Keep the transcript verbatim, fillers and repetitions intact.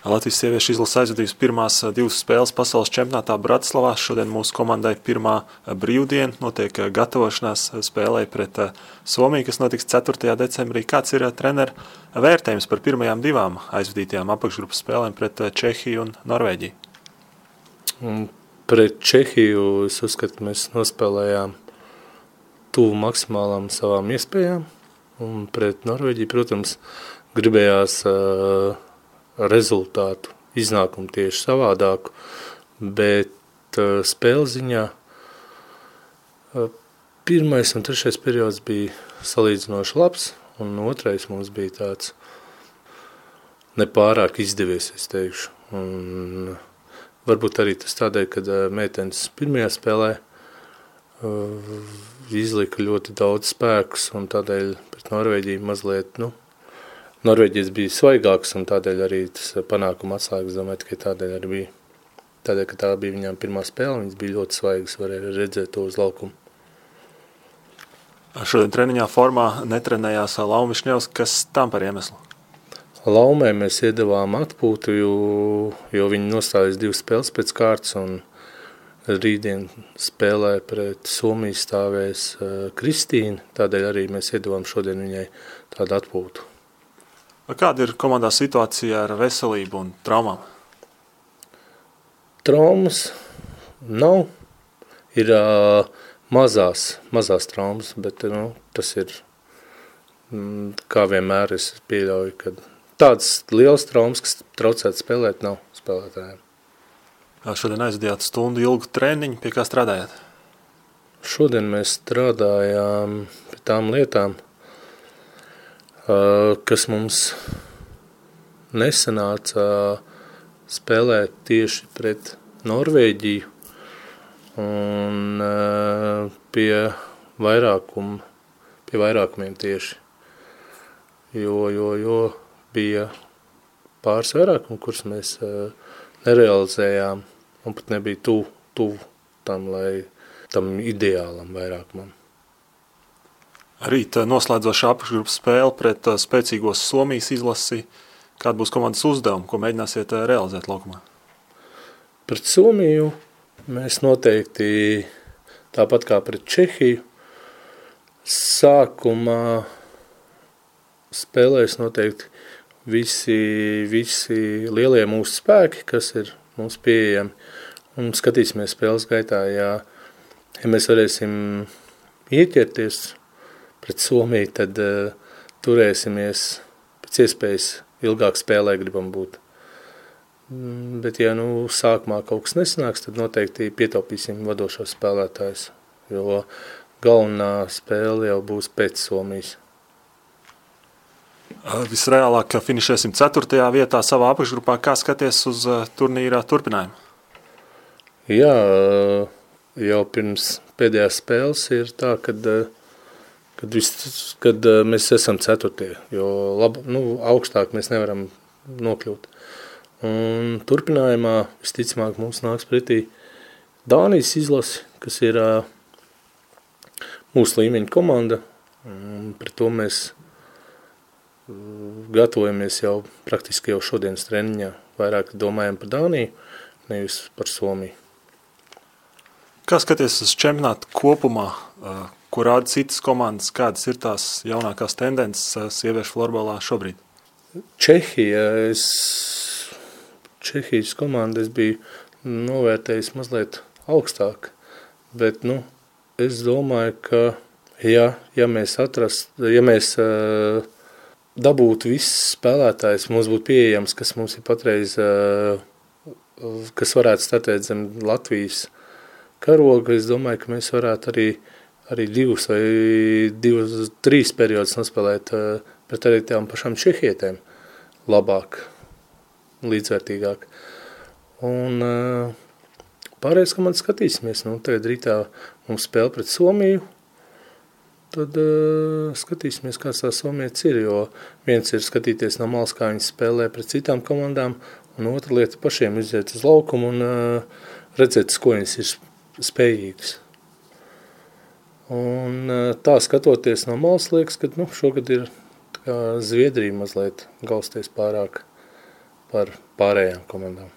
Latvijas sieviešu izlase aizvadījusi pirmās divas spēles pasaules čempionātā Bratislavā. Šodien mūsu komandai pirmā brīvdiena, notiek gatavošanās spēlei pret Somiju, kas notiks ceturtajā decembrī. Kāds ir trenera vērtējums par pirmajām divām aizvadītajām apakšgrupas spēlēm pret Čehiju un Norvēģiju? Un pret Čehiju es uzskatu, ka mēs nospēlējām tuvu maksimālām savām iespējām. Un pret Norvēģiju, protams, gribējās uh, rezultātu, iznākumu tieši savādāku, bet uh, spēles ziņā uh, pirmais un trešais periods bija salīdzinoši labs, un otrais mums bija tāds nepārāk izdevies, es teikšu. Un varbūt arī tas tādēļ, kad uh, meitenes pirmajā spēlē uh, izlika ļoti daudz spēkus, un tādēļ pret Norvēģiju mazliet, nu, Norvēģijas bija svaigāks, un tādēļ arī tas panākuma atslēgas, domāju, tikai tādēļ arī bija. Tādēļ, ka tā bija viņām pirmā spēle, viņas bija ļoti svaigas, varēja redzēt to uz laukumu. Šodien treniņā formā netrenējās Lauma Višņevska, kas tam par iemeslu? Laumai mēs iedavām atpūtu, jo, jo viņi nostājās divas spēles pēc kārtas, un rītdien spēlē pret Somiju stāvēs uh, Kristīna, tādēļ arī mēs iedavām šodien viņai tādu atpūtu. Kāda ir komandā situācija ar veselību un traumām? Traumas nav, ir uh, mazās, mazās traumas, bet nu, tas ir, mm, kā vienmēr es pieļauju, ka tādas lielas traumas, kas traucētu spēlēt, nav spēlētājiem. Šodien aizvadījāt stundu ilgu treniņu, pie kā strādājāt? Šodien mēs strādājām pie tām lietām, kas mums nesanāca spēlēt tieši pret Norvēģiju un pie, vairākum, pie vairākumiem tieši, jo, jo, jo bija pāris vairākumi, kurus mēs nerealizējām. Un pat nebija tuvu, tuvu tam, lai tam ideālam vairākumam. Rīt noslēdzošā apakšgrupas spēle pret spēcīgos Somijas izlasi. Kāda būs komandas uzdevuma, ko mēģināsiet realizēt laukumā? Pret Somiju mēs noteikti, tāpat kā pret Čehiju, sākumā spēlēs noteikti visi, visi lielie mūsu spēki, kas ir mums pieejami, un skatīsimies spēles gaitā, ja, ja mēs varēsim ieķerties pret Somiju, tad uh, turēsimies pēc iespējas ilgāk spēlē gribam būt. Mm, bet ja nu sākumā kaut kas nesanāks, tad noteikti pietaupīsim vadošos spēlētājus, jo galvenā spēle jau būs pēc Somijas. Visreālāk finišēsim ceturtajā vietā savā apakšgrupā. Kā skaties uz turnīra turpinājumu? Jā, jau pirms pēdējās spēles ir tā, kad, kad, vis, kad mēs esam ceturtie, jo lab, nu, augstāk mēs nevaram nokļūt. Un turpinājumā visticamāk mums nāks pretī Dānijas izlasi, kas ir mūsu līmeņa komanda. Un pret to mēs gatavojamies jau praktiski jau šodienas treniņā. Vairāk domājam par Dāniju, nevis par Somiju. Kā skaties uz čempionātu kopumā, ko rāda citas komandas, kādas ir tās jaunākās tendences sieviešu florbolā šobrīd? Čehija, es, Čehijas komanda es biju novērtējis mazliet augstāk, bet nu, es domāju, ka ja, ja mēs atrast, ja mēs uh, dabūtu visus spēlētājus, mums būtu pieejams, kas mums ir patreiz, kas varētu startēt zem Latvijas karoga. Es domāju, ka mēs varētu arī, arī divus vai divus, trīs periodus nospēlēt pret arī tām pašām čehietēm labāk, līdzvērtīgāk. Un pārējais, ka man skatīsimies, nu, tagad rītā mums spēle pret Somiju, tad uh, skatīsimies, kāds tā somietis ir, jo viens ir skatīties no malas, kā viņi spēlē pret citām komandām, un otra lieta pašiem iziet uz laukumu un uh, redzēt, ko viņas ir spējīgas. Un uh, tā skatoties no malas liekas, ka nu, šogad ir tā kā Zviedrija mazliet galsties pārāk par pārējām komandām.